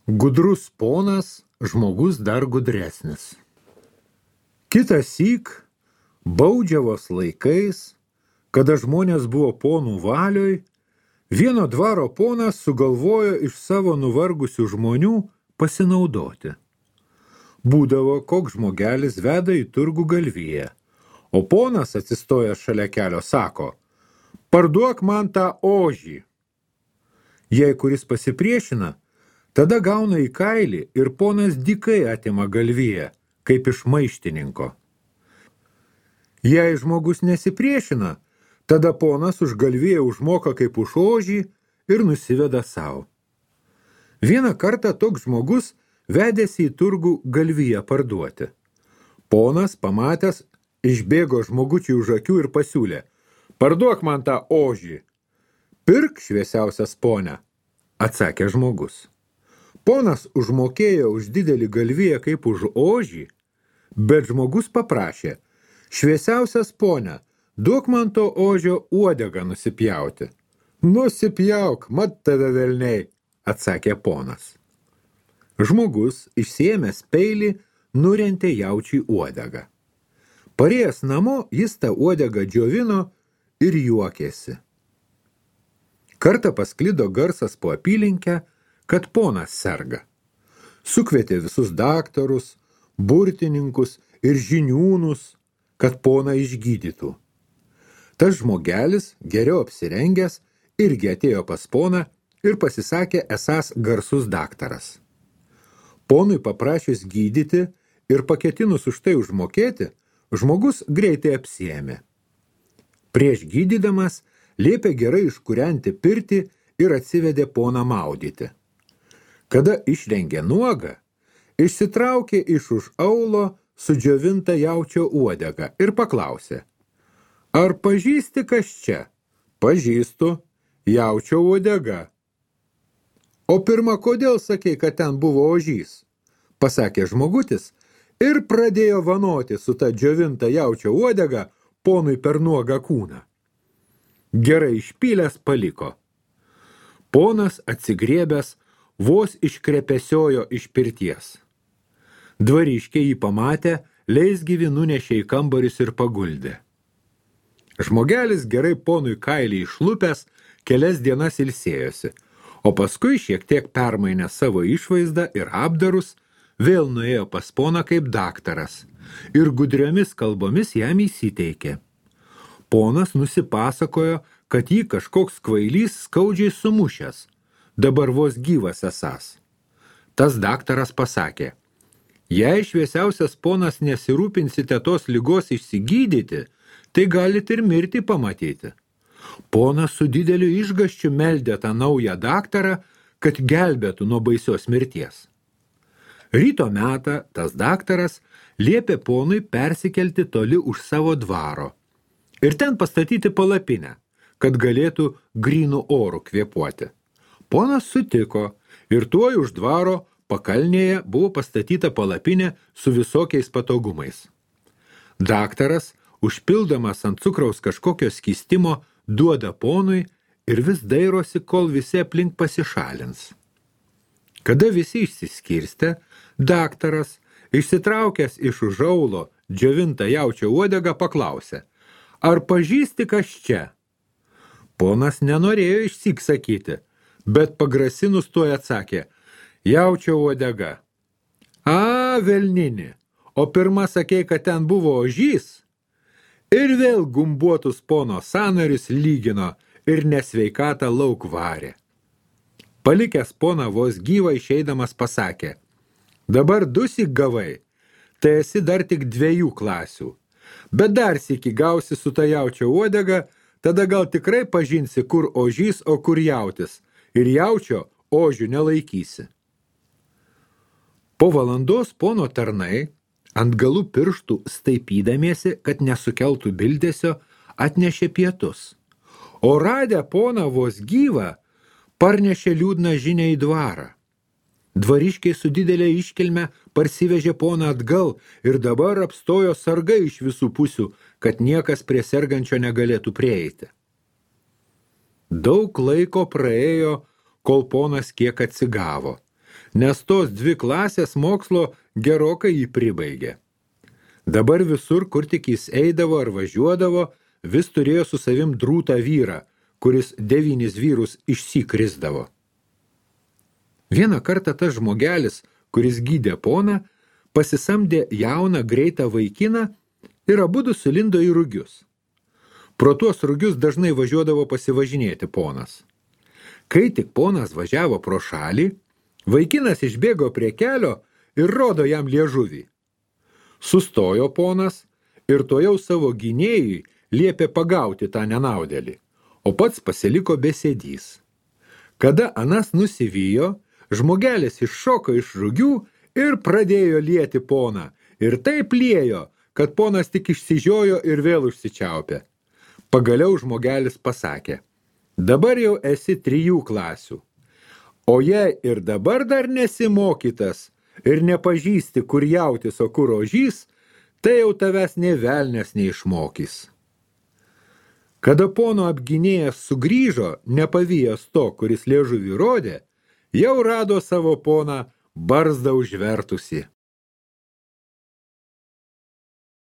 Gudrus ponas, žmogus dar gudresnis. Kitąsyk, baudžiavos laikais, kada žmonės buvo ponų valioj, vieno dvaro ponas sugalvojo iš savo nuvargusių žmonių pasinaudoti. Būdavo, koks žmogelis veda į turgų galviją, o ponas atsistojęs šalia kelio sako: parduok man tą ožį. Jei kuris pasipriešina, tada gauna į kailį ir ponas dykai atima galviją, kaip iš maištininko. Jei žmogus nesipriešina, tada ponas už galviją užmoka kaip už ožį ir nusiveda savo. Vieną kartą toks žmogus vedėsi į turgų galviją parduoti. Ponas, pamatęs, išbėgo žmogučiui už akių ir pasiūlė: parduok man tą ožį. Pirk, šviesiausias pone, atsakė žmogus. Ponas užmokėjo už didelį galviją kaip už ožį, bet žmogus paprašė: šviesiausias pone, duok man to ožio uodegą nusipjauti. Nusipjauk, mat tave velniai, atsakė ponas. Žmogus, išsiėmęs peilį, nurentė jaučiui uodegą. Parėjęs namo, jis tą uodegą džiovino ir juokėsi. Kartą pasklido garsas po apylinkę, kad ponas serga. Sukvietė visus daktarus, burtininkus ir žiniūnus, kad poną išgydytų. Tas žmogelis, geriau apsirengęs, irgi atėjo pas poną ir pasisakė esąs garsus daktaras. Ponui paprašius gydyti ir paketinus už tai užmokėti, žmogus greitai apsiėmė. Prieš gydydamas liepė gerai iškūrenti pirtį ir atsivedė poną maudyti. Kada išrengė nuogą, išsitraukė iš už aulo sudžiovintą jaučio uodegą ir paklausė: ar pažįsti kas čia? Pažįstu, jaučio uodega. O pirma, kodėl sakei, kad ten buvo ožys? Pasakė žmogutis ir pradėjo vanoti su ta džiovinta jaučio uodega ponui per nuogą kūną. Gerai išpylęs paliko. Ponas atsigriebęs vos iškrepesiojo iš pirties. Dvariškiai jį pamatę, leisgyvi nunešė į kambarius ir paguldė. Žmogelis gerai ponui kailį išlupęs kelias dienas ilsėjosi, o paskui šiek tiek permainė savo išvaizdą ir apdarus, vėl nuėjo pas poną kaip daktaras ir gudriomis kalbomis jam įsiteikė. Ponas nusipasakojo, kad jį kažkoks kvailys skaudžiai sumušęs, dabar vos gyvas esąs. Tas daktaras pasakė: jei šviesiausias ponas nesirūpinsite tos ligos išsigydyti, tai galite ir mirtį pamatyti. Ponas su dideliu išgąsčiu meldė tą naują daktarą, kad gelbėtų nuo baisios mirties. Ryto metą tas daktaras liepė ponui persikelti toli už savo dvaro ir ten pastatyti palapinę, kad galėtų grynų orų kvėpuoti. Ponas sutiko ir tuoj už dvaro pakalnėje buvo pastatyta palapinė su visokiais patogumais. Daktaras, užpildamas ant cukraus kažkokio skystimo, duoda ponui ir vis dairosi, kol visi aplink pasišalins. Kada visi išsiskirstė, daktaras, išsitraukęs iš už aulo džiovintą jaučio uodegą, paklausė: ar pažįsti kas čia? Ponas nenorėjo išsyk sakyti, bet pagrasinus tuoj atsakė: jaučio uodega. A, velnini, o pirma sakei, kad ten buvo ožys? Ir vėl gumbuotus pono sąnarius lygino ir nesveikatą lauk varė. Palikęs poną vos gyvą išeidamas pasakė: dabar dusyk gavai, tai esi dar tik 2 klasių, bet dar sykį gausi su ta jaučio uodega, tada gal tikrai pažinsi, kur ožys, o kur jautis, ir jaučio ožių nelaikysi. Po valandos pono tarnai, ant galų pirštų staipydamiesi, kad nesukeltų bildesio, atnešė pietus, o radę poną vos gyvą, parnešė liūdną žinią į dvarą. Dvariškiai su didelė iškilme parsivežė poną atgal ir dabar apstojo sargai iš visų pusių, kad niekas prie sergančio negalėtų prieiti. Daug laiko praėjo, kol ponas kiek atsigavo nes tos 2 klasės mokslo gerokai jį pribaigė. Dabar visur, kur tik jis eidavo ar važiuodavo, vis turėjo su savim drūtą vyrą, kuris 9 vyrus išsikrisdavo. Vieną kartą tas žmogelis, kuris gydė poną, pasisamdė jauną greitą vaikiną ir abudu sulindo į rugius. Pro tuos rugius dažnai važiuodavo pasivažinėti ponas. Kai tik ponas važiavo pro šalį, vaikinas išbėgo prie kelio ir rodo jam liežuvį. Sustojo ponas ir tojau savo gynėjui liepė pagauti tą nenaudėlį, o pats pasiliko besėdys. Kada anas nusivijo, žmogelis iššoko iš rugių ir pradėjo lieti poną, ir taip liejo, kad ponas tik išsižiojo ir vėl užsičiaupė. Pagaliau žmogelis pasakė: dabar jau esi 3 klasių, o jei ir dabar dar nesimokytas ir nepažįsti, kur jautis, o kur ožys, tai jau tavęs nė velnias neišmokys. Kada pono apgynėjas sugrįžo, nepavijęs to, kuris liežuvį rodė, jau rado savo poną barzdą užvertusi.